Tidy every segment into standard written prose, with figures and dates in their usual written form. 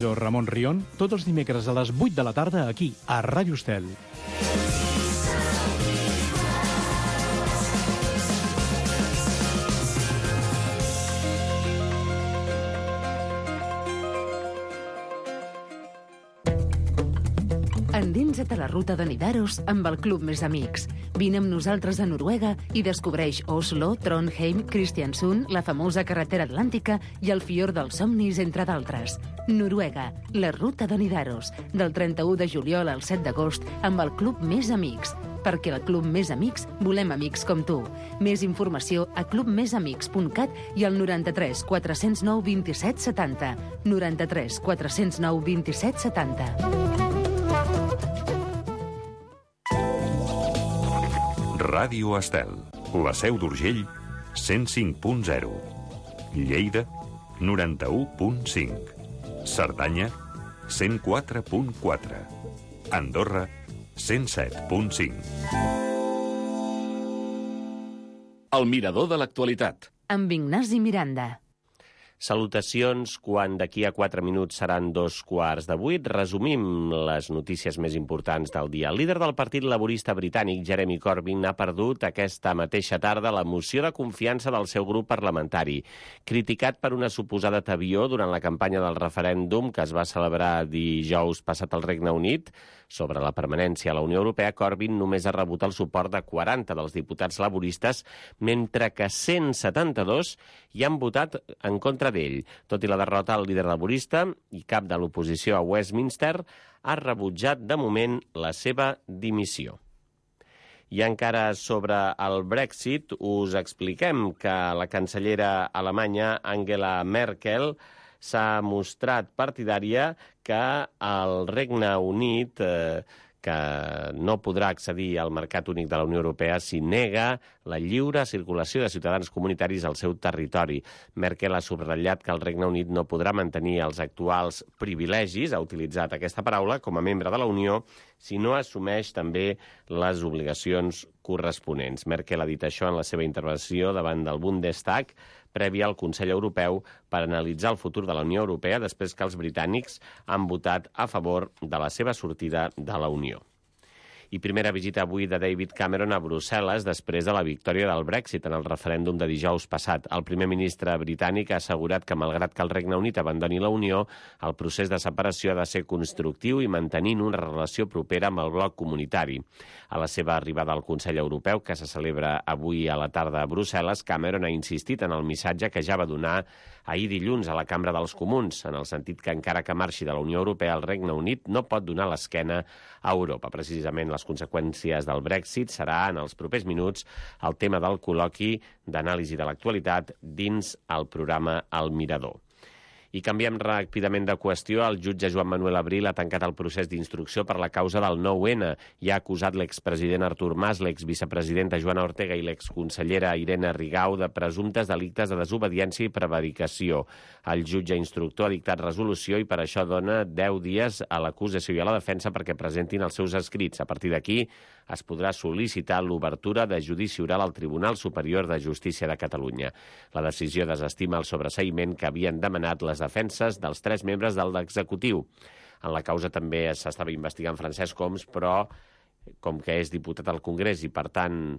Jo, Ramon Rion, tots els dimecres a les 8 de la tarda aquí, a Ràdio Estel. Endinsa't a la ruta de Nidaros amb el Club Més Amics. Vine amb nosaltres a Noruega i descobreix Oslo, Trondheim, Kristiansund, la famosa carretera atlàntica i el Fiord dels Somnis, entre d'altres. Noruega, la ruta de Nidaros, del 31 de juliol al 7 d'agost amb el Club Més Amics. Perquè al Club Més Amics volem amics com tu. Més informació a clubmesamics.cat i al 93 409 27 70. 93 409 27 70. Ràdio Estel, la Seu d'Urgell, 105.0. Lleida, 91.5. Cerdanya, 104.4. Andorra, 107.5. El mirador de l'actualitat. Amb Ignasi Miranda. Salutacions, quan d'aquí a 4 minuts seran 7:15. Resumim les notícies més importants del dia. El líder del Partit Laborista britànic, Jeremy Corbyn, ha perdut aquesta mateixa tarda la moció de confiança del seu grup parlamentari. Criticat per una suposada tebió durant la campanya del referèndum que es va celebrar dijous passat al Regne Unit sobre la permanència a la Unió Europea, Corbyn només ha rebut el suport de 40 dels diputats laboristes, mentre que 172 hi han votat en contra d'ell. Tot i la derrota, el líder laborista i cap de l'oposició a Westminster ha rebutjat de moment la seva dimissió. I encara sobre el Brexit, us expliquem que la cancellera alemanya Angela Merkel s'ha mostrat partidària que el Regne Unit que no podrà accedir al mercat únic de la Unió Europea si nega la lliure circulació de ciutadans comunitaris al seu territori. Merkel ha subratllat que el Regne Unit no podrà mantenir els actuals privilegis, ha utilitzat aquesta paraula, com a membre de la Unió, si no assumeix també les obligacions corresponents. Merkel ha dit això en la seva intervenció davant del Bundestag, prèvia al Consell Europeu per analitzar el futur de la Unió Europea després que els britànics han votat a favor de la seva sortida de la Unió. I primera visita avui de David Cameron a Brussel·les després de la victòria del Brexit en el referèndum de dijous passat. El primer ministre britànic ha assegurat que, malgrat que el Regne Unit abandoni la Unió, el procés de separació ha de ser constructiu i mantenint una relació propera amb el bloc comunitari. A la seva arribada al Consell Europeu, que se celebra avui a la tarda a Brussel·les, Cameron ha insistit en el missatge que ja va donar ahir dilluns a la Cambra dels Comuns, en el sentit que encara que marxi de la Unió Europea, el Regne Unit no pot donar l'esquena a Europa. Precisament les conseqüències del Brexit serà en els propers minuts el tema del col·loqui d'anàlisi de l'actualitat dins el programa El Mirador. I canviem ràpidament de qüestió. El jutge Joan Manuel Abril ha tancat el procés d'instrucció per la causa del 9-N i ha acusat l'expresident Artur Mas, l'exvicepresidenta Joana Ortega i l'exconsellera Irene Rigau de presumptes delictes de desobediència i prevaricació. El jutge instructor ha dictat resolució i per això dona 10 dies a l'acusació i a la defensa perquè presentin els seus escrits. A partir d'aquí es podrà sol·licitar l'obertura de judici oral al Tribunal Superior de Justícia de Catalunya. La decisió desestima el sobreseïment que havien demanat les defenses dels 3 membres de l'executiu. En la causa també s'estava investigant Francesc Homs, però com que és diputat al Congrés i, per tant,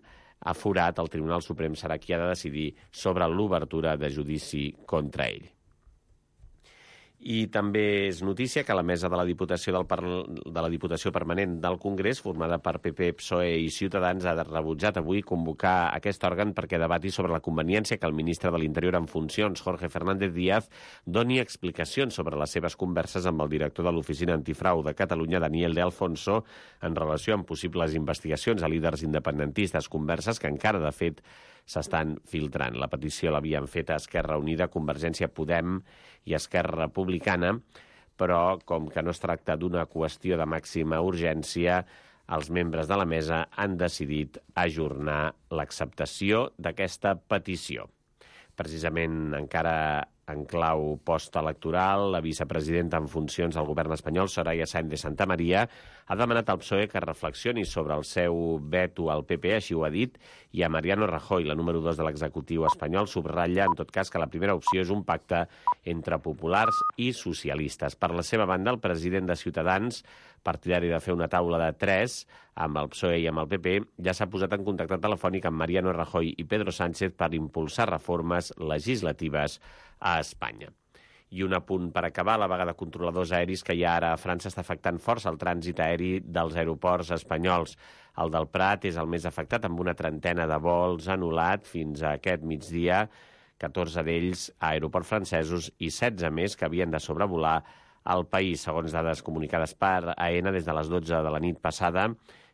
aforat, el Tribunal Suprem serà qui ha de decidir sobre l'obertura de judici contra ell. I també és notícia que la mesa de la Diputació Permanent del Congrés, formada per PP, PSOE i Ciutadans, ha rebutjat avui convocar aquest òrgan perquè debati sobre la conveniència que el ministre de l'Interior en funcions, Jorge Fernández Díaz, doni explicacions sobre les seves converses amb el director de l'Oficina Antifrau de Catalunya, Daniel de Alfonso, en relació amb possibles investigacions a líders independentistes, converses que encara, de fet, s'estan filtrant. La petició l'havien fet a Esquerra Unida, Convergència, Podem i Esquerra Republicana, però com que no es tracta d'una qüestió de màxima urgència, els membres de la mesa han decidit ajornar l'acceptació d'aquesta petició. Precisament encara en clau postelectoral. La vicepresidenta en funcions del govern espanyol, Soraya Sáenz de Santamaría, ha demanat al PSOE que reflexioni sobre el seu veto al PP, així ho ha dit, i a Mariano Rajoy, la número 2 de l'executiu espanyol, subratlla, en tot cas, que la primera opció és un pacte entre populars i socialistes. Per la seva banda, el president de Ciutadans, partidari de fer una taula de 3 amb el PSOE i amb el PP, ja s'ha posat en contacte telefònic amb Mariano Rajoy i Pedro Sánchez per impulsar reformes legislatives a Espanya. I un apunt per acabar, la vaga de controladors aeris que hi ha ara a França està afectant força el trànsit aeri dels aeroports espanyols. El del Prat és el més afectat, amb una trentena de vols anul·lat fins a aquest migdia, 14 d'ells a aeroports francesos i 16 més que havien de sobrevolar al país, segons dades comunicades per AENA. Des de les 12 de la nit passada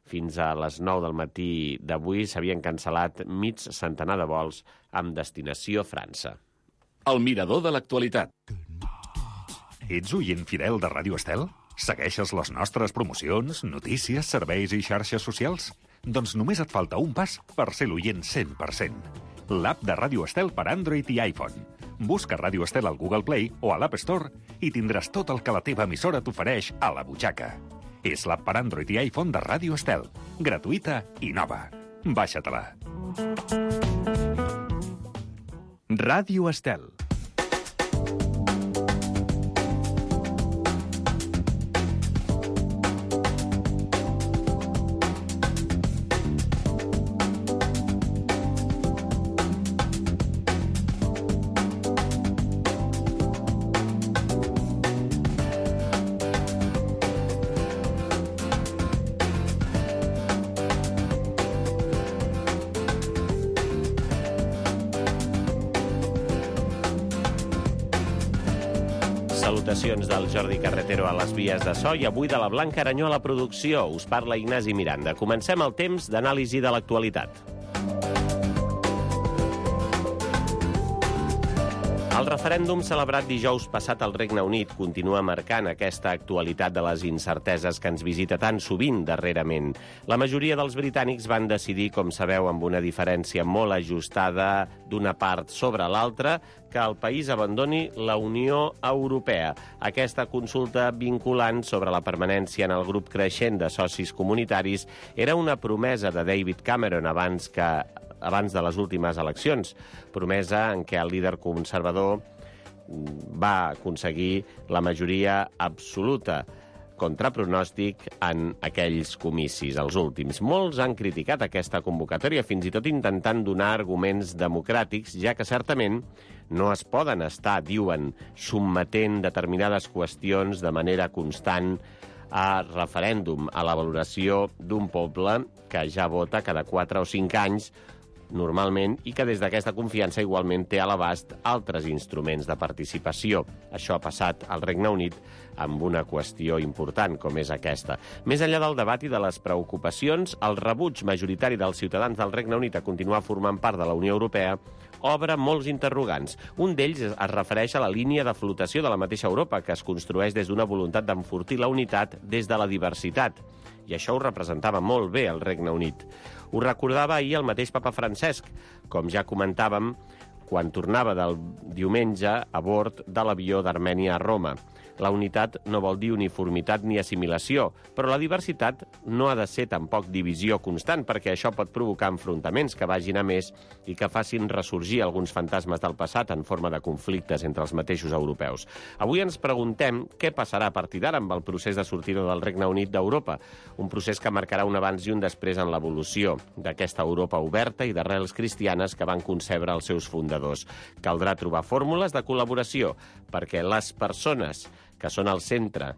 fins a les 9 del matí d'avui s'havien cancel·lat mig centenar de vols amb destinació França. El mirador de l'actualitat. Ets oient fidel de Ràdio Estel? Segueixes les nostres promocions, notícies, serveis i xarxes socials? Doncs només et falta un pas per ser l'oient 100%. L'app de Ràdio Estel per Android i iPhone. Busca Ràdio Estel al Google Play o a l'App Store i tindràs tot el que la teva emissora t'ofereix a la butxaca. És l'app per Android i iPhone de Ràdio Estel. Gratuïta i nova. Baixa-te-la. Ràdio Estel. Salutacions del Jordi Carretero a les vies de so i avui de la Blanca Aranyó a la producció. Us parla Ignasi Miranda. Comencem el temps d'anàlisi de l'actualitat. El referèndum celebrat dijous passat al Regne Unit continua marcant aquesta actualitat de les incerteses que ens visita tan sovint darrerament. La majoria dels britànics van decidir, com sabeu, amb una diferència molt ajustada d'una part sobre l'altra, que el país abandoni la Unió Europea. Aquesta consulta vinculant sobre la permanència en el grup creixent de socis comunitaris era una promesa de David Cameron abans de les últimes eleccions, promesa en què el líder conservador va aconseguir la majoria absoluta contra pronòstic en aquells comicis, els últims. Molts han criticat aquesta convocatòria, fins i tot intentant donar arguments democràtics, ja que certament no es poden estar, diuen, sotmetent determinades qüestions de manera constant a referèndum, a la valoració d'un poble que ja vota cada 4 o 5 anys, normalment, i que des d'aquesta confiança igualment té a l'abast altres instruments de participació. Això ha passat al Regne Unit amb una qüestió important, com és aquesta. Més enllà del debat i de les preocupacions, el rebuig majoritari dels ciutadans del Regne Unit a continuar formant part de la Unió Europea obre molts interrogants. Un d'ells es refereix a la línia de flotació de la mateixa Europa, que es construeix des d'una voluntat d'enfortir la unitat des de la diversitat. I això ho representava molt bé el Regne Unit. Ho recordava ahir el mateix papa Francesc, com ja comentàvem, quan tornava del diumenge a bord de l'avió d'Armènia a Roma. La unitat no vol dir uniformitat ni assimilació, però la diversitat no ha de ser tampoc divisió constant, perquè això pot provocar enfrontaments que vagin a més i que facin ressorgir alguns fantasmes del passat en forma de conflictes entre els mateixos europeus. Avui ens preguntem què passarà a partir d'ara amb el procés de sortida del Regne Unit d'Europa, un procés que marcarà un abans i un després en l'evolució d'aquesta Europa oberta i d'arrels cristianes que van concebre els seus fundadors. Caldrà trobar fórmules de col·laboració perquè les persones que són al centre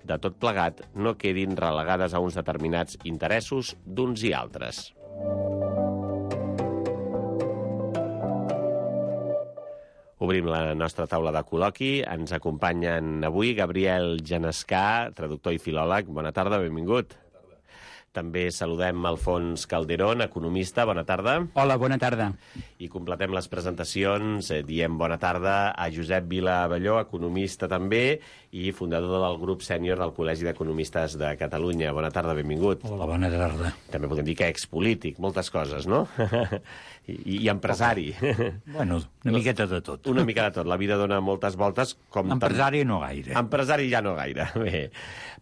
de tot plegat no quedin relegades a uns determinats interessos d'uns i altres. Obrim la nostra taula de col·loqui. Ens acompanyen avui Gabriel Genescà, traductor i filòleg. Bona tarda, benvingut. També saludem Alfons Calderón, economista. Bona tarda. Hola, bona tarda. I completem les presentacions. Diem bona tarda a Josep Vila Abelló, economista també, i fundador del grup sènior del Col·legi d'Economistes de Catalunya. Bona tarda, benvingut. Hola, bona tarda. També podem dir que expolític, moltes coses, no? I empresari. Bueno, una miqueta de tot. Una mica de tot. La vida dona moltes voltes. Empresari no gaire. Empresari ja no gaire. Bé,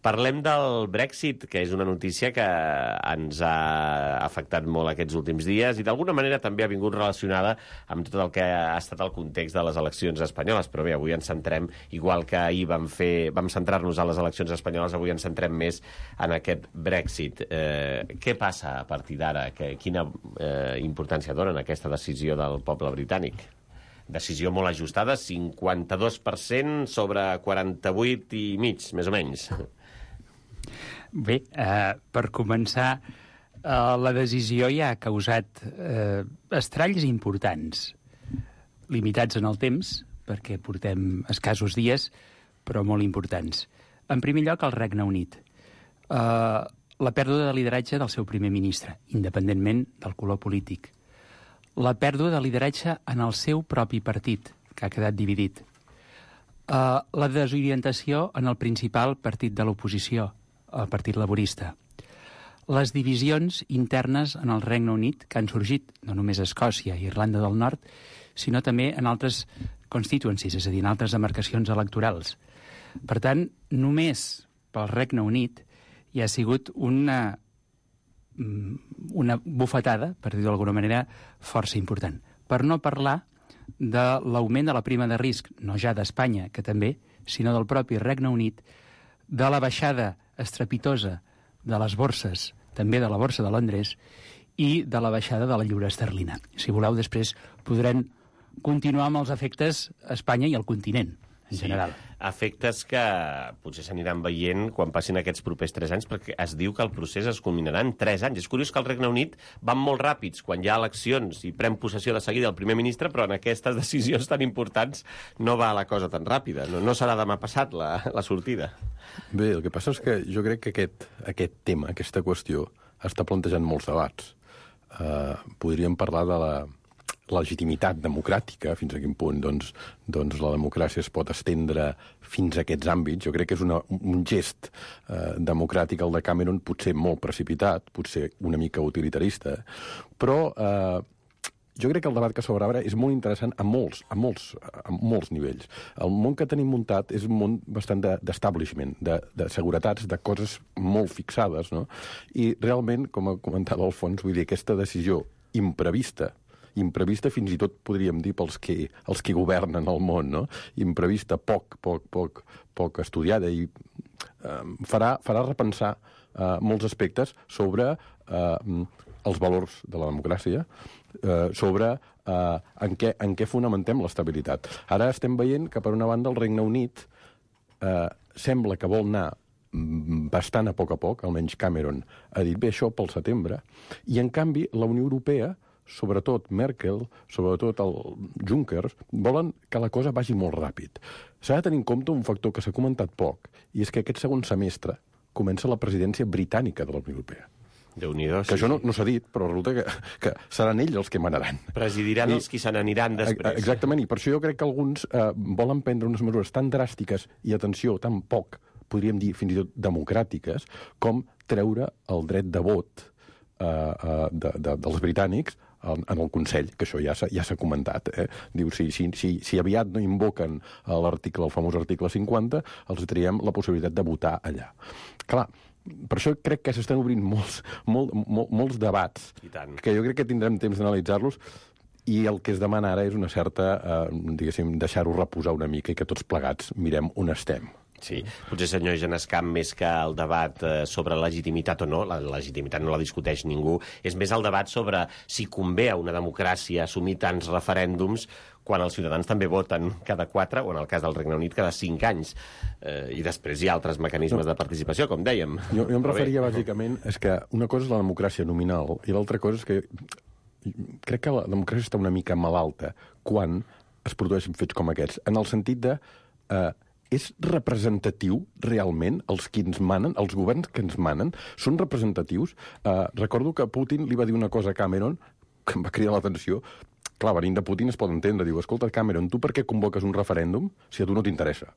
parlem del Brexit, que és una notícia que ens ha afectat molt aquests últims dies i d'alguna manera també ha vingut relacionada amb tot el que ha estat el context de les eleccions espanyoles. Però bé, avui ens centrem, igual que ahir vam centrar-nos a les eleccions espanyoles, avui ens centrem més en aquest Brexit. Què passa a partir d'ara? Quina importància donen aquesta decisió del poble britànic? Decisió molt ajustada, 52% sobre 48,5, més o menys. Bé, per començar, la decisió ja ha causat estralls importants, limitats en el temps, perquè portem escassos dies, però molt importants. En primer lloc, el Regne Unit. La pèrdua de lideratge del seu primer ministre, independentment del color polític. La pèrdua de lideratge en el seu propi partit, que ha quedat dividit. La desorientació en el principal partit de l'oposició, el Partit Laborista. Les divisions internes en el Regne Unit que han sorgit, no només a Escòcia i Irlanda del Nord, sinó també en altres constituencies, és a dir, en altres demarcacions electorals. Per tant, només pel Regne Unit hi ha sigut una bufetada, per dir-ho d'alguna manera, força important. Per no parlar de l'augment de la prima de risc, no ja d'Espanya, que també, sinó del propi Regne Unit, de la baixada estrepitosa de les borses, també de la borsa de Londres, i de la baixada de la lliura esterlina. Si voleu, després podrem continuar amb els efectes a Espanya i al continent, en general. Efectes que potser s'aniran veient quan passin aquests propers 3 anys, perquè es diu que el procés es culminarà en 3 anys. És curiós que al Regne Unit van molt ràpids quan hi ha eleccions i pren possessió de seguida el primer ministre, però en aquestes decisions tan importants no va la cosa tan ràpida. No serà demà passat la sortida. Bé, el que passa és que jo crec que aquest tema, aquesta qüestió, està plantejant molts debats. Podríem parlar de la legitimitat democràtica, fins a quin punt doncs la democràcia es pot estendre fins a aquests àmbits. Jo crec que és un gest democràtic, el de Cameron, potser molt precipitat, potser una mica utilitarista, però jo crec que el debat que s'obre ara és molt interessant a molts nivells. El món que tenim muntat és un món bastant d'establishment, de seguretats, de coses molt fixades, no? I realment, com ha comentat Alfons, vull dir, aquesta decisió imprevista fins i tot podríem dir pels que governen el món, no? Imprevista, poc estudiada i farà repensar molts aspectes sobre els valors de la democràcia, sobre en què fonamentem l'estabilitat. Ara estem veient que, per una banda, el Regne Unit sembla que vol anar bastant a poc, almenys Cameron ha dit bé això pel setembre, i en canvi la Unió Europea, sobretot Merkel, sobretot el Juncker, volen que la cosa vagi molt ràpid. S'ha de tenir en compte un factor que s'ha comentat poc, i és que aquest segon semestre comença la presidència britànica de la Unió Europea. Déu-n'hi-do, que això no s'ha dit, però resulta que seran ells els que manaran. Presidiran els qui se n'aniran després. Exactament, i per això jo crec que alguns volen prendre unes mesures tan dràstiques i, atenció, tan poc, podríem dir fins i tot democràtiques, com treure el dret de vot dels britànics en el Consell, que això ja s'ha comentat. Diu, si aviat no invoquen el famós article 50, els traiem la possibilitat de votar allà. Clar, per això crec que s'estan obrint molts debats, que jo crec que tindrem temps d'analitzar-los, i el que es demana ara és una certa, diguéssim, deixar-ho reposar una mica i que tots plegats mirem on estem. Sí, potser, senyor Genescamp, més que el debat sobre legitimitat o no, la legitimitat no la discuteix ningú, és més el debat sobre si convé a una democràcia assumir tants referèndums quan els ciutadans també voten cada 4, o en el cas del Regne Unit, cada 5 anys. I després hi ha altres mecanismes de participació, com dèiem. Jo em referia, bàsicament, és que una cosa és la democràcia nominal i l'altra cosa és que crec que la democràcia està una mica malalta quan es produeixen fets com aquests, en el sentit de és representatiu realment els qui ens manen, els governs que ens manen, són representatius? Recordo que Putin li va dir una cosa a Cameron que em va cridar l'atenció. Clar, venint de Putin es pot entendre. Diu, escolta, Cameron, tu per què convoques un referèndum si a tu no t'interessa?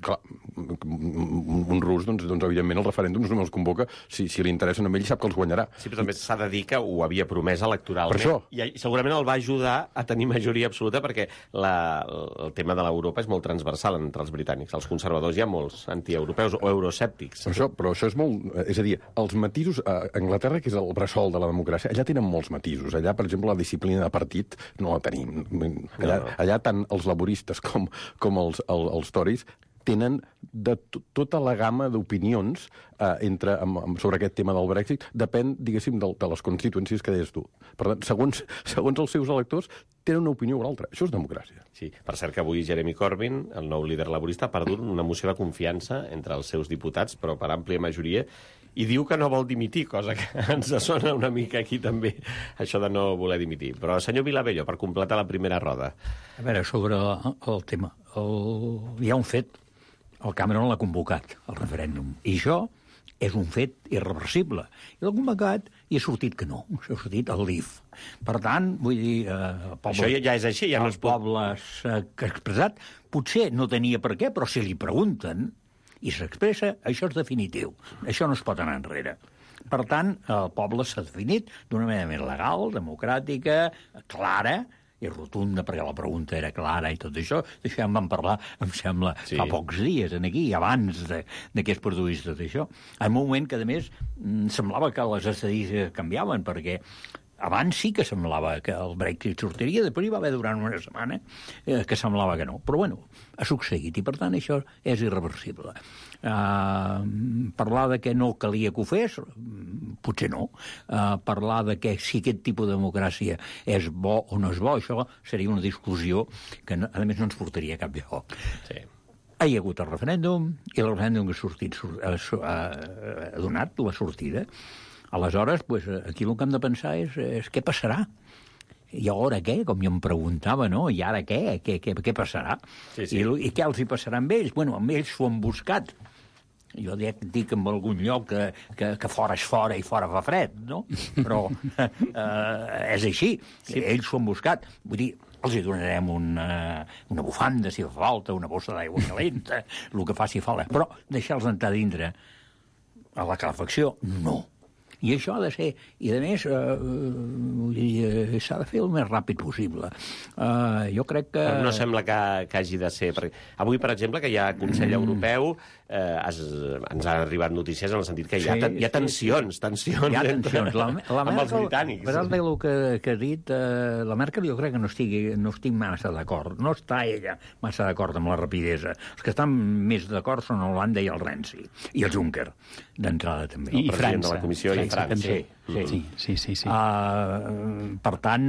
Clar, un rus, doncs evidentment, el referèndum no els convoca si li interessen a ell, sap que els guanyarà. Sí, però també s'ha de dir que ho havia promès electoralment. Per això. I segurament el va ajudar a tenir majoria absoluta perquè el tema de l'Europa és molt transversal entre els britànics. Els conservadors hi ha molts antieuropeus o euroscèptics. Però això és molt... És a dir, els matisos... A Anglaterra, que és el bressol de la democràcia, allà tenen molts matisos. Allà, per exemple, la disciplina de partit no la tenim. Allà tant els laboristes com els tories tenen de tota la gamma d'opinions sobre aquest tema del Brexit. Depèn, diguéssim, de les constituencies que deies tu. Per tant, segons els seus electors, tenen una opinió o l'altra. Això és democràcia. Sí, per cert que avui Jeremy Corbyn, el nou líder laborista, ha perdut una moció de confiança entre els seus diputats, però per àmplia majoria, i diu que no vol dimitir, cosa que ens sona una mica aquí també, això de no voler dimitir. Però, senyor Vilabello, per completar la primera roda. A veure, sobre el tema. Hi ha un fet. El Cameron l'ha convocat, el referèndum. I això és un fet irreversible. I l'ha convocat i ha sortit que no. Ha sortit el Leave. Per tant, vull dir... Això ja és així, ja no es pot... El poble s'ha expressat. Potser no tenia per què, però si li pregunten i s'expressa, això és definitiu. Això no es pot anar enrere. Per tant, el poble s'ha definit d'una manera més legal, democràtica, clara, i rotunda, perquè la pregunta era clara i tot això. D'això ja en vam parlar, em sembla, sí, fa pocs dies, aquí, abans que es produís tot això. En un moment que, a més, semblava que les estadístiques canviaven, perquè abans sí que semblava que el Brexit sortiria, després hi va haver durant una setmana que semblava que no. Però, bueno, ha succeït, i per tant això és irreversible. Parlar de que no calia que ho fes, potser no. Parlar de que si aquest tipus de democràcia és bo o no és bo, això seria una discussió que, a més, no ens portaria a cap lloc. Sí. Hi ha hagut el referèndum, i el referèndum que ha sortit ha donat la sortida. Aleshores, pues, aquí el que hem de pensar és què passarà. I ara què? Com jo em preguntava, no? I ara què? Què passarà? Sí, sí. I què els hi passarà amb ells? Bueno, amb ells s'ho han buscat. Jo dic en algun lloc que fora és fora i fora fa fred, no? Però és així. Sí. Ells s'ho han buscat. Vull dir, els hi donarem una bufanda, si fa falta, una bossa d'aigua calenta, el que faci falta. Però deixar-los entrar dintre a la calefacció, no. I això ha de ser... I, a més, s'ha de fer el més ràpid possible. Jo crec que... Però no sembla que hagi de ser... Perquè avui, per exemple, que hi ha Consell Europeu, ens han arribat notícies en el sentit que hi ha tensions. Hi ha tensions. Amb els britànics. Per el que ha dit, la Merkel jo crec que no estic massa d'acord. No està ella massa d'acord amb la rapidesa. Els que estan més d'acord són Holanda i el Renzi. I el Juncker, d'entrada també. I França. De la Comissió i França. Sí. Per tant...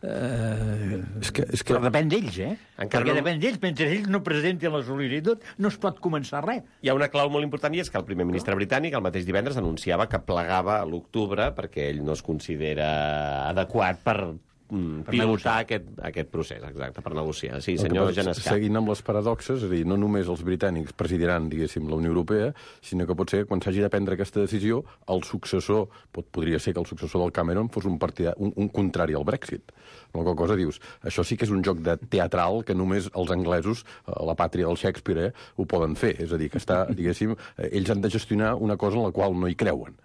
però depèn d'ells, perquè depèn d'ells. Mentre ells no presentin la sol·licitud, no es pot començar res. Hi ha una clau molt important, i és que el primer ministre britànic el mateix divendres anunciava que plegava a l'octubre perquè ell no es considera adequat per pilotar aquest procés, exacte, per negociar. Sí, senyor Genescà. Seguint amb les paradoxes, és a dir, no només els britànics presidiran, diguéssim, la Unió Europea, sinó que pot ser, quan s'hagi de prendre aquesta decisió, el successor, podria ser que el successor del Cameron fos un contrari al Brexit. La qual cosa dius, això sí que és un joc de teatral que només els anglesos, la pàtria del Shakespeare, ho poden fer. És a dir, que està, diguéssim, ells han de gestionar una cosa en la qual no hi creuen.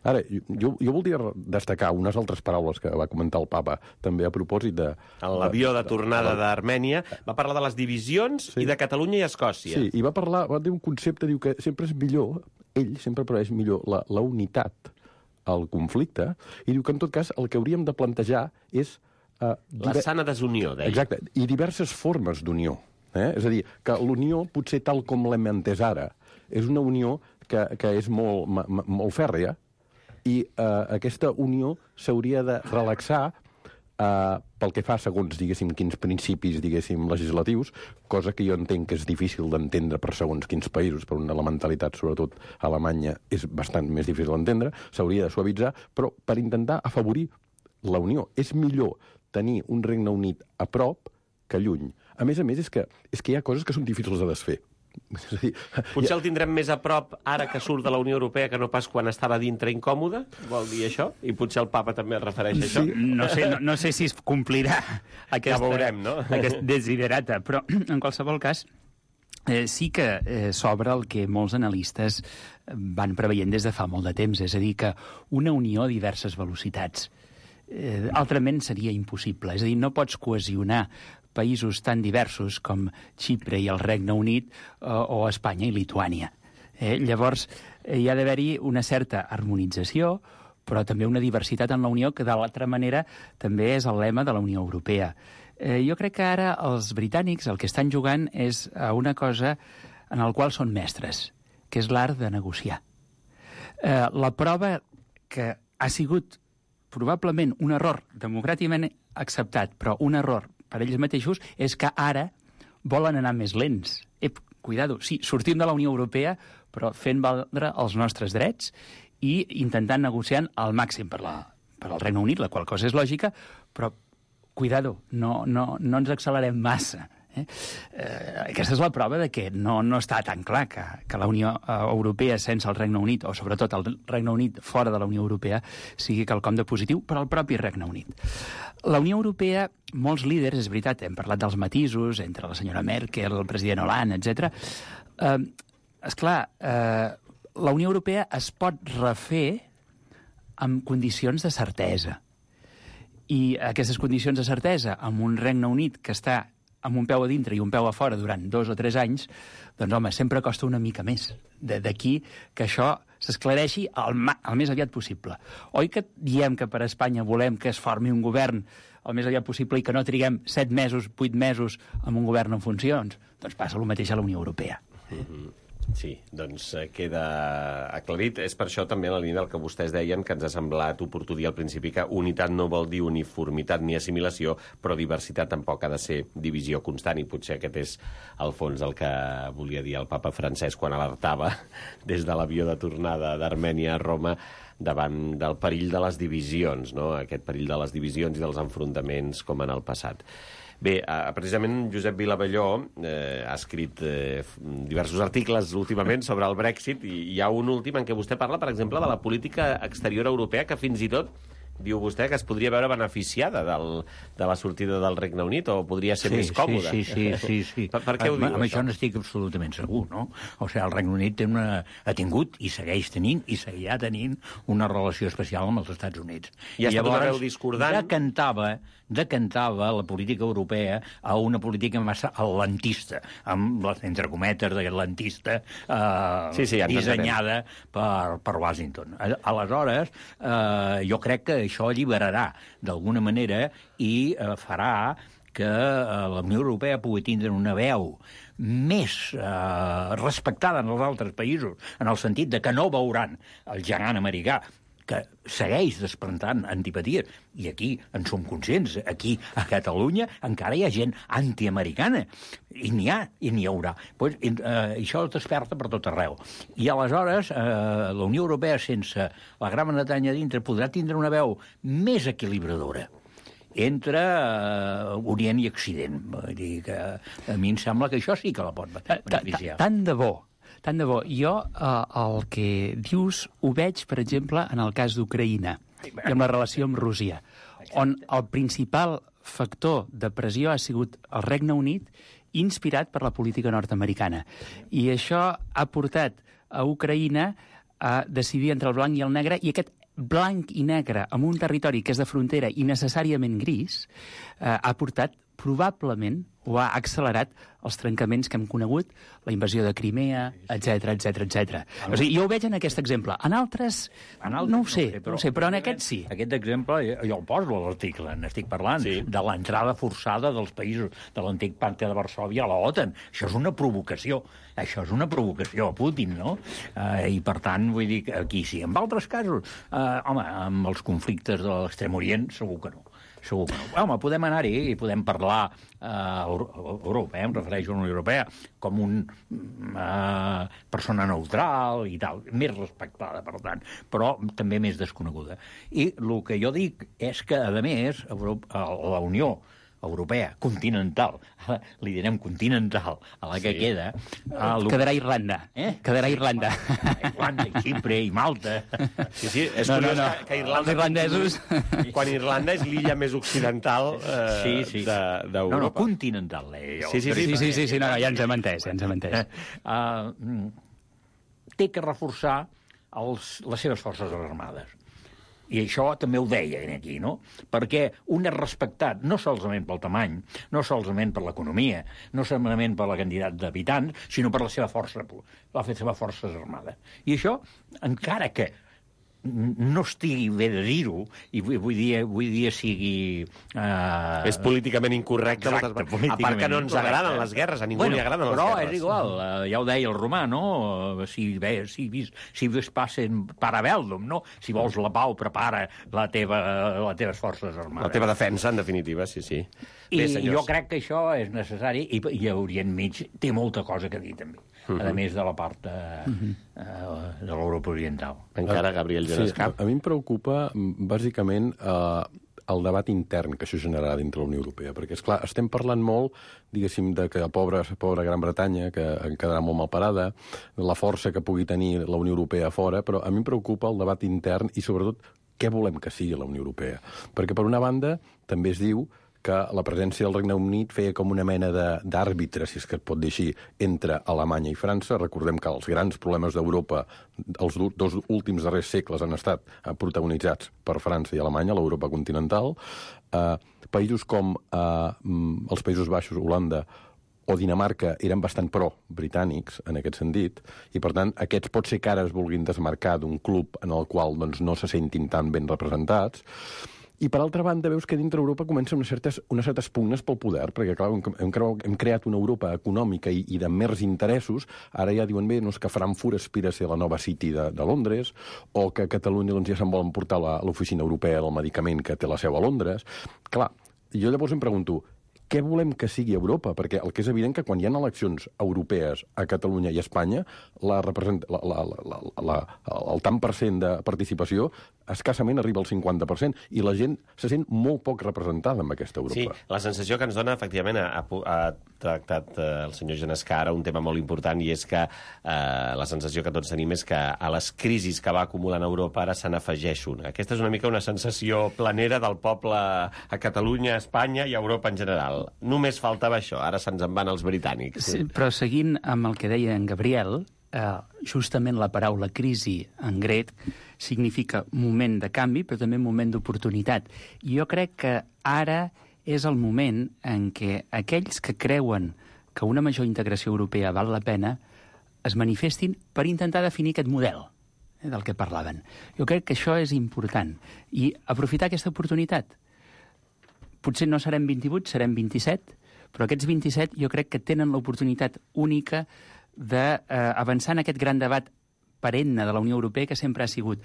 Ara, jo voldria destacar unes altres paraules que va comentar el papa també a propòsit de... En l'avió de tornada d'Armènia va parlar de les divisions i de Catalunya i Escòcia. Sí, i va dir un concepte, diu que sempre és millor, ell sempre prefereix millor la unitat al conflicte, i diu que en tot cas el que hauríem de plantejar és... la sana desunió, deia. Exacte, i diverses formes d'unió. És a dir, que l'unió, potser tal com l'hem entès ara, és una unió que és molt fèrrea, i aquesta unió s'hauria de relaxar pel que fa segons, diguéssim, quins principis, diguéssim, legislatius, cosa que jo entenc que és difícil d'entendre per segons quins països, per una mentalitat, sobretot a Alemanya, és bastant més difícil d'entendre, s'hauria de suavitzar, però per intentar afavorir la unió. És millor tenir un Regne Unit a prop que lluny. a més, és que hi ha coses que són difícils de desfer. És a dir, Potser el tindrem més a prop ara que surt de la Unió Europea que no pas quan estava dintre incòmode, vol dir això? I potser el papa també es refereix a això? No sé si es complirà Ja veurem, no? aquest desiderata, però en qualsevol cas sí que s'obre el que molts analistes van preveient des de fa molt de temps, és a dir, que una unió a diverses velocitats altrament seria impossible. És a dir, no pots cohesionar països tan diversos com Xipre i el Regne Unit o Espanya i Lituània. Llavors, hi ha d'haver-hi una certa harmonització, però també una diversitat en la Unió, que de l'altra manera també és el lema de la Unió Europea. Jo crec que ara els britànics el que estan jugant és a una cosa en el qual són mestres, que és l'art de negociar. La prova que ha sigut probablement un error democràticament acceptat, però un error per ells mateixos, és que ara volen anar més lents. Cuidado, sí, sortim de la Unió Europea, però fent valdre els nostres drets i intentant negociar al màxim per al Regne Unit, la qual cosa és lògica, però cuidado, no ens accelerem massa. Aquesta és la prova de que no està tan clar que la Unió Europea sense el Regne Unit, o sobretot el Regne Unit fora de la Unió Europea, sigui quelcom de positiu per al propi Regne Unit. La Unió Europea, molts líders, és veritat, hem parlat dels matisos entre la senyora Merkel, el president Hollande, etc. Esclar, la Unió Europea es pot refer amb condicions de certesa. I aquestes condicions de certesa, amb un Regne Unit que està amb un peu a dintre i un peu a fora durant 2 o 3 anys, doncs, home, sempre costa una mica més. D'aquí que això s'esclareixi el més aviat possible. Oi que diem que per Espanya volem que es formi un govern el més aviat possible i que no triguem 7 mesos, 8 mesos amb un govern en funcions? Doncs passa el mateix a la Unió Europea. Sí, doncs queda aclarit. És per això també en la línia del que vostès deien, que ens ha semblat oportú dir al principi que unitat no vol dir uniformitat ni assimilació, però diversitat tampoc ha de ser divisió constant, i potser aquest és al fons el que volia dir el papa Francesc quan alertava des de l'avió de tornada d'Armènia a Roma davant del perill de les divisions, no? Aquest perill de les divisions i dels enfrontaments com en el passat. Bé, precisament Josep Vilavelló ha escrit diversos articles últimament sobre el Brexit, i hi ha un últim en què vostè parla, per exemple, de la política exterior europea, que fins i tot diu vostè que es podria veure beneficiada de la sortida del Regne Unit, o podria ser més còmoda. Sí. Per què ho diu, amb això n'estic absolutament segur, no? O sigui, el Regne Unit ha tingut i segueix tenint i seguirà tenint una relació especial amb els Estats Units. I ha estat una veu discordant. Decantava la política europea a una política massa atlantista, amb les entrecometes d'atlantista dissenyada per Washington. Aleshores, jo crec que això alliberarà d'alguna manera i farà que la Unió Europea pugui tindre una veu més respectada en els altres països, en el sentit de que no veuran el gegant americà, que segueix desprentant antipaties, i aquí en som conscients. Aquí, a Catalunya, encara hi ha gent antiamericana, i n'hi haurà. Pues, això es desperta per tot arreu. I aleshores, la Unió Europea, sense la Gran Bretanya dintre, podrà tindre una veu més equilibradora entre Orient i Occident. Vull dir que a mi em sembla que això sí que la pot beneficiar. Tant de bo. Jo el que dius ho veig, per exemple, en el cas d'Ucraïna i amb la relació amb Rússia, on el principal factor de pressió ha sigut el Regne Unit, inspirat per la política nord-americana. I això ha portat a Ucraïna a decidir entre el blanc i el negre, i aquest blanc i negre en un territori que és de frontera i necessàriament gris ha portat probablement o ha accelerat els trencaments que hem conegut, la invasió de Crimea, etc. O sigui, jo ho veig en aquest exemple. En altres no ho sé, però en aquest sí. Aquest exemple jo el poso a l'article. N'estic parlant de l'entrada forçada dels països de l'antic pacte de Varsòvia a l'OTAN. Això és una provocació. Això és una provocació a Putin, no? I, per tant, vull dir que aquí sí. En altres casos, amb els conflictes de l'Extrem Orient, segur que no. Home, podem anar-hi i podem parlar Europa, em refereixo a la Unió Europea, com una persona neutral i tal, més respectada, per tant, però també més desconeguda. I el que jo dic és que, a més, la Unió europea, continental, li direm continental, a la que queda... Quedarà Irlanda. Quedarà Irlanda. Irlanda, i Xipre, i Malta... Sí, és curiós que Irlanda... Els irlandesos... Quan Irlanda és l'illa més occidental d'Europa. No, continental. Sí, no, ja ens hem entès, Té que reforçar les seves forces armades. I això també ho deia aquí, no? Perquè un és respectat no solament pel tamany, no solament per l'economia, no solament per la quantitat d'habitants, sinó per la seva força armada. I això, encara que no estigui bé de dir-ho, i vull dir sigui... És políticament incorrecte. Exacte, a part que no ens agraden les guerres, a ningú li agraden les guerres. Però és igual, ja ho deia el romà, no? Si vis passen para bellum, no? Si vols la pau, prepara les teves forces armades. La teva defensa, en definitiva, sí. I jo crec que això és necessari, i a Orient Mig té molta cosa que dir, també. A més de la part de l'Europa Oriental. Encara, Gabriel Genescà. A mi em preocupa, bàsicament, el debat intern que això generarà dintre la Unió Europea. Perquè, esclar, estem parlant molt, diguéssim, de que la pobra Gran Bretanya, que en quedarà molt mal parada, la força que pugui tenir la Unió Europea a fora, però a mi em preocupa el debat intern i, sobretot, què volem que sigui la Unió Europea. Perquè, per una banda, també es diu que la presència del Regne Unit feia com una mena d'àrbitre, si és que es pot dir així, entre Alemanya i França. Recordem que els grans problemes d'Europa els dos últims darrers segles han estat protagonitzats per França i Alemanya, l'Europa continental. Països com els Països Baixos, Holanda o Dinamarca eren bastant pro-britànics en aquest sentit, i per tant aquests pot ser que ara es vulguin desmarcar d'un club en el qual no se sentin tan ben representats. I, per altra banda, veus que dintre Europa comencen unes certes pugnes pel poder, perquè, clar, hem creat una Europa econòmica i de mers interessos. Ara ja diuen, bé, que Frankfurt aspira a ser la nova City de Londres, o que a Catalunya ja se'n volen portar l'Oficina Europea del Medicament, que té la seu a Londres. Clar, jo llavors em pregunto, què volem que sigui Europa? Perquè el que és evident que quan hi ha eleccions europees a Catalunya i a Espanya, el tant per cent de participació escassament arriba al 50%, i la gent se sent molt poc representada en aquesta Europa. Sí, la sensació que ens dona, efectivament, ha tractat el senyor Genescà ara un tema molt important, i és que la sensació que tots tenim és que a les crisis que va acumulant Europa ara se n'afegeix una. Aquesta és una mica una sensació planera del poble a Catalunya, a Espanya i a Europa en general. Només faltava això, ara se'ns en van els britànics. Sí, però seguint amb el que deia en Gabriel, justament la paraula crisi en grec significa moment de canvi, però també moment d'oportunitat. I jo crec que ara és el moment en què aquells que creuen que una major integració europea val la pena es manifestin per intentar definir aquest model del que parlaven. Jo crec que això és important. I aprofitar aquesta oportunitat. Potser no serem 28, serem 27, però aquests 27 jo crec que tenen l'oportunitat única d'avançar en aquest gran debat perenne de la Unió Europea, que sempre ha sigut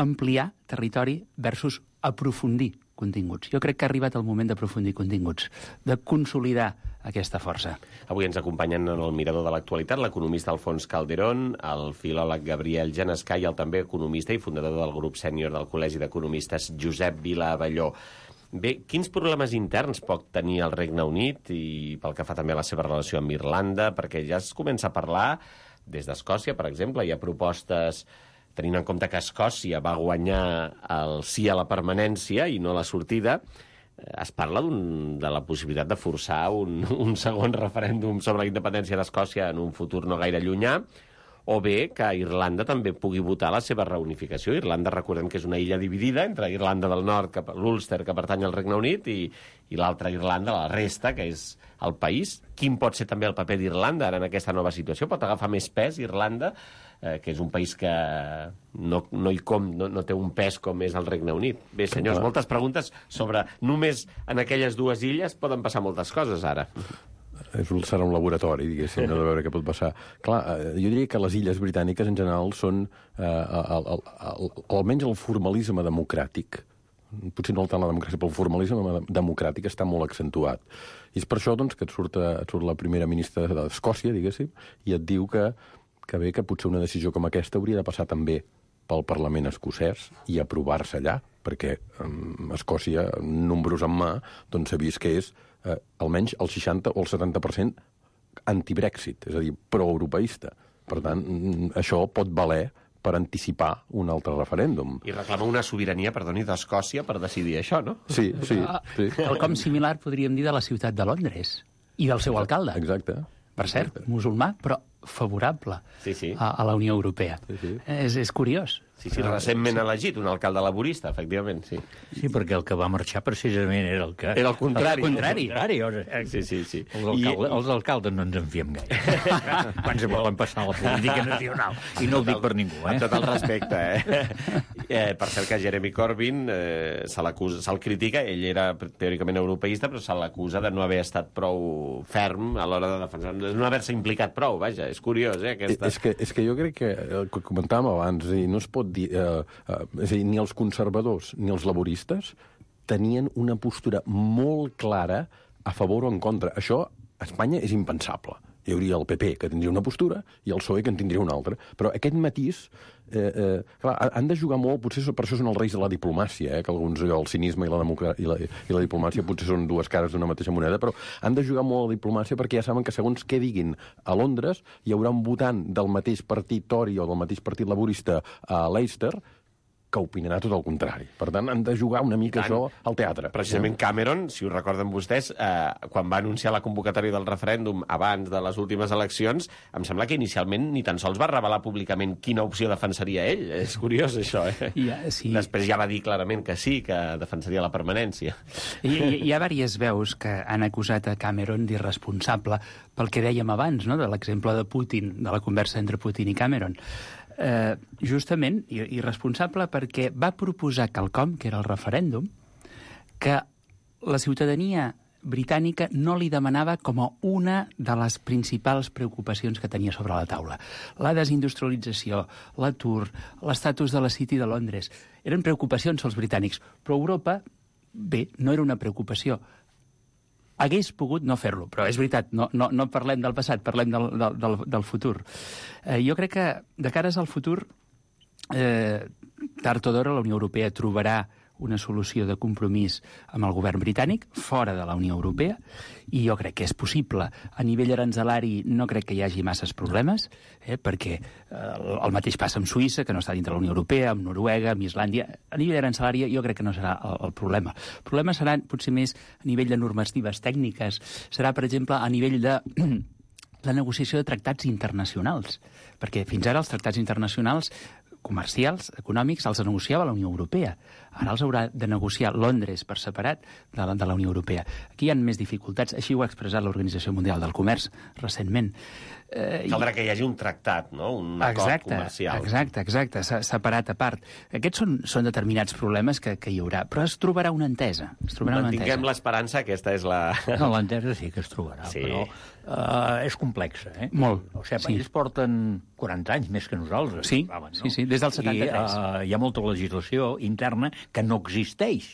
ampliar territori versus aprofundir continguts. Jo crec que ha arribat el moment d'aprofundir continguts, de consolidar aquesta força. Avui ens acompanyen en el mirador de l'actualitat l'economista Alfons Calderón, el filòleg Gabriel Genescà i el també economista i fundador del grup sènior del Col·legi d'Economistes Josep Vila Abelló. Bé, quins problemes interns pot tenir el Regne Unit i pel que fa també a la seva relació amb Irlanda? Perquè ja es comença a parlar des d'Escòcia, per exemple. Hi ha propostes, tenint en compte que Escòcia va guanyar el sí a la permanència i no a la sortida. Es parla de la possibilitat de forçar un segon referèndum sobre la independència d'Escòcia en un futur no gaire llunyà, o bé que Irlanda també pugui votar la seva reunificació. Irlanda, recordem que és una illa dividida entre Irlanda del Nord, l'Ulster, que pertany al Regne Unit, i l'altra Irlanda, la resta, que és el país. Quin pot ser també el paper d'Irlanda ara en aquesta nova situació? Pot agafar més pes Irlanda, que és un país que no té un pes com és el Regne Unit? Bé, senyors, moltes preguntes sobre només en aquelles dues illes poden passar moltes coses ara. Serà un laboratori, diguéssim, de veure què pot passar. Clar, jo diria que les illes britàniques en general són almenys el formalisme democràtic, potser no tant la democràcia, però el formalisme democràtic està molt accentuat. I és per això doncs, que et surt la primera ministra d'Escòcia, diguéssim, i et diu que potser una decisió com aquesta hauria de passar també pel Parlament escocès i aprovar-se allà, perquè Escòcia, números en mà, doncs s'ha vist que és almenys el 60 o el 70% anti-Brexit, és a dir, pro-europeista. Per tant, això pot valer per anticipar un altre referèndum. I reclama una sobirania, perdoni, d'Escòcia per decidir això, no? Sí. Quelcom similar podríem dir de la ciutat de Londres i del seu alcalde. Exacte. Per cert, musulmà, però favorable Sí. a la Unió Europea. Sí. És curiós. Sí, recentment elegit, un alcalde laborista, efectivament, sí. Sí, perquè el que va marxar precisament era el que... Era el contrari. El contrari. Sí. Els alcaldes no ens en fiem gaire. Quan se volen passar a la política nacional. I no ho dic per ningú, Amb tot el respecte, per cert que Jeremy Corbyn se'l critica, ell era teòricament europeista, però se l'acusa de no haver estat prou ferm a l'hora de defensar, de no haver-se implicat prou, vaja, és curiós, aquesta... És que jo crec que el que comentàvem abans, no es pot dir... és a dir, ni els conservadors ni els laboristes tenien una postura molt clara a favor o en contra. Això a Espanya és impensable. Hi hauria el PP, que tindria una postura, i el PSOE, que en tindria una altra. Però aquest matís... clar, han de jugar molt, potser per això són els reis de la diplomàcia, que alguns, el cinisme i la diplomàcia potser són dues cares d'una mateixa moneda, però han de jugar molt a la diplomàcia perquè ja saben que segons què diguin a Londres hi haurà un votant del mateix partit Tory o del mateix partit laborista a Leicester que opinarà tot el contrari. Per tant, han de jugar una mica això al teatre. Precisament Cameron, si ho recorden vostès, quan va anunciar la convocatòria del referèndum abans de les últimes eleccions, em sembla que inicialment ni tan sols va revelar públicament quina opció defensaria ell. És curiós, això, Sí. Després ja va dir clarament que sí, que defensaria la permanència. Hi ha diverses veus que han acusat a Cameron d'irresponsable pel que dèiem abans, no?, de l'exemple de Putin, de la conversa entre Putin i Cameron. Justament irresponsable perquè va proposar quelcom, que era el referèndum, que la ciutadania britànica no li demanava com a una de les principals preocupacions que tenia sobre la taula. La desindustrialització, l'atur, l'estatus de la City de Londres. Eren preocupacions als britànics, però Europa, bé, no era una preocupació. Hagués pogut no fer-lo, però és veritat, no parlem del passat, parlem del futur. Jo crec que, de cares al futur, tard o d'hora la Unió Europea trobarà una solució de compromís amb el govern britànic, fora de la Unió Europea, i jo crec que és possible. A nivell aranzelari no crec que hi hagi masses problemes, perquè el mateix passa amb Suïssa, que no està dintre de la Unió Europea, amb Noruega, amb Islàndia. A nivell aranzelari jo crec que no serà el problema. El problema serà potser més a nivell de normatives tècniques. Serà, per exemple, a nivell de la negociació de tractats internacionals, perquè fins ara els tractats internacionals comercials, econòmics, els negociava la Unió Europea. Ara els haurà de negociar Londres per separat de la Unió Europea. Aquí hi ha més dificultats, així ho ha expressat l'Organització Mundial del Comerç recentment. Caldrà que hi hagi un tractat, no? Un acord comercial. Exacte, separat a part. Aquests són determinats problemes que hi haurà, però es trobarà una entesa. Mantinguem l'esperança, aquesta és la... No, l'entesa sí que es trobarà, sí. Però és complexa, Molt. O sigui, ells porten 40 anys més que nosaltres. Sí, no? sí, des del 73. I hi ha molta legislació interna que no existeix,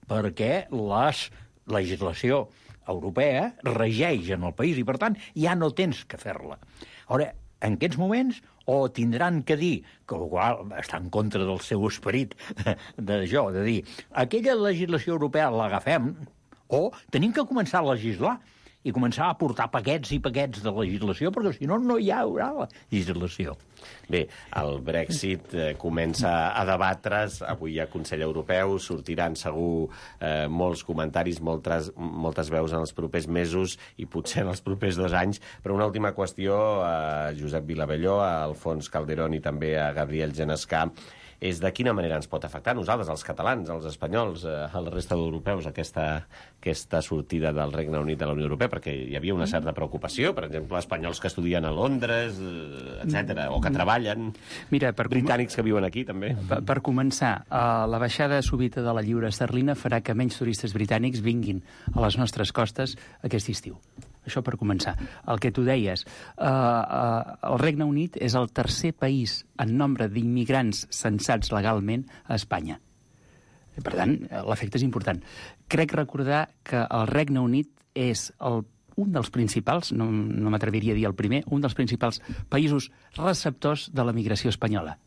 perquè la legislació europea regeix en el país i, per tant, ja no tens que fer-la. Ara, en aquests moments, o tindran que dir, que està en contra del seu esperit de dir, aquella legislació europea l'agafem, o tenim que començar a legislar i començar a portar paquets i paquets de legislació, perquè si no, no hi haurà legislació. Bé, el Brexit comença a debatre's, avui hi ha Consell Europeu, sortiran segur molts comentaris, moltes veus en els propers mesos i potser en els propers 2 anys, però una última qüestió a Josep Vilabelló, a Alfons Calderón i també a Gabriel Genescà, és de quina manera ens pot afectar a nosaltres, els catalans, els espanyols, a la resta d'europeus, aquesta sortida del Regne Unit de la Unió Europea, perquè hi havia una certa preocupació, per exemple, espanyols que estudien a Londres, etc, o que treballen, britànics que viuen aquí, també. Per començar, la baixada súbita de la lliura esterlina farà que menys turistes britànics vinguin a les nostres costes aquest estiu. Això per començar. El que tu deies, el Regne Unit és el tercer país en nombre d'immigrants censats legalment a Espanya. Per tant, l'efecte és important. Crec recordar que el Regne Unit és un dels principals, no m'atreviria a dir el primer, un dels principals països receptors de la migració espanyola.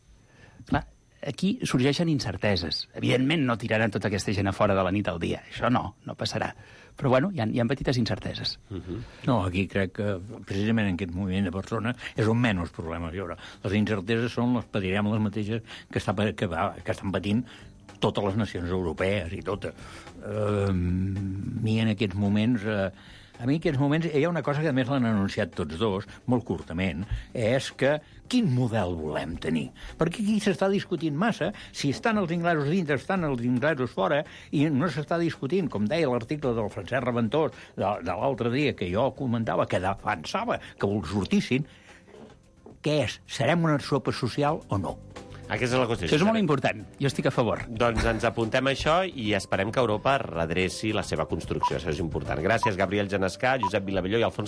Clar, aquí sorgeixen incerteses. Evidentment no tiraran tota aquesta gent a fora de la nit al dia. Això no passarà. Però, bueno, hi ha petites incerteses. No, aquí crec que precisament en aquest moviment de persones és on menys problemes hi haurà. Les incerteses són, les patirem les mateixes que estan patint totes les nacions europees i totes. A mi en aquests moments hi ha una cosa que a més l'han anunciat tots dos, molt curtament, és que quin model volem tenir? Perquè aquí s'està discutint massa si estan els inglesos dintre, estan els inglesos fora, i no s'està discutint, com deia l'article del Francesc Reventós de l'altre dia, que jo comentava, que defensava que sortissin, què és? Serem una sopa social o no? Aquesta és la qüestió. Això és molt important. Jo estic a favor. Doncs ens apuntem a això i esperem que Europa redreci la seva construcció. Això és important. Gràcies, Gabriel Genescà, Josep Vilavelló i Alfons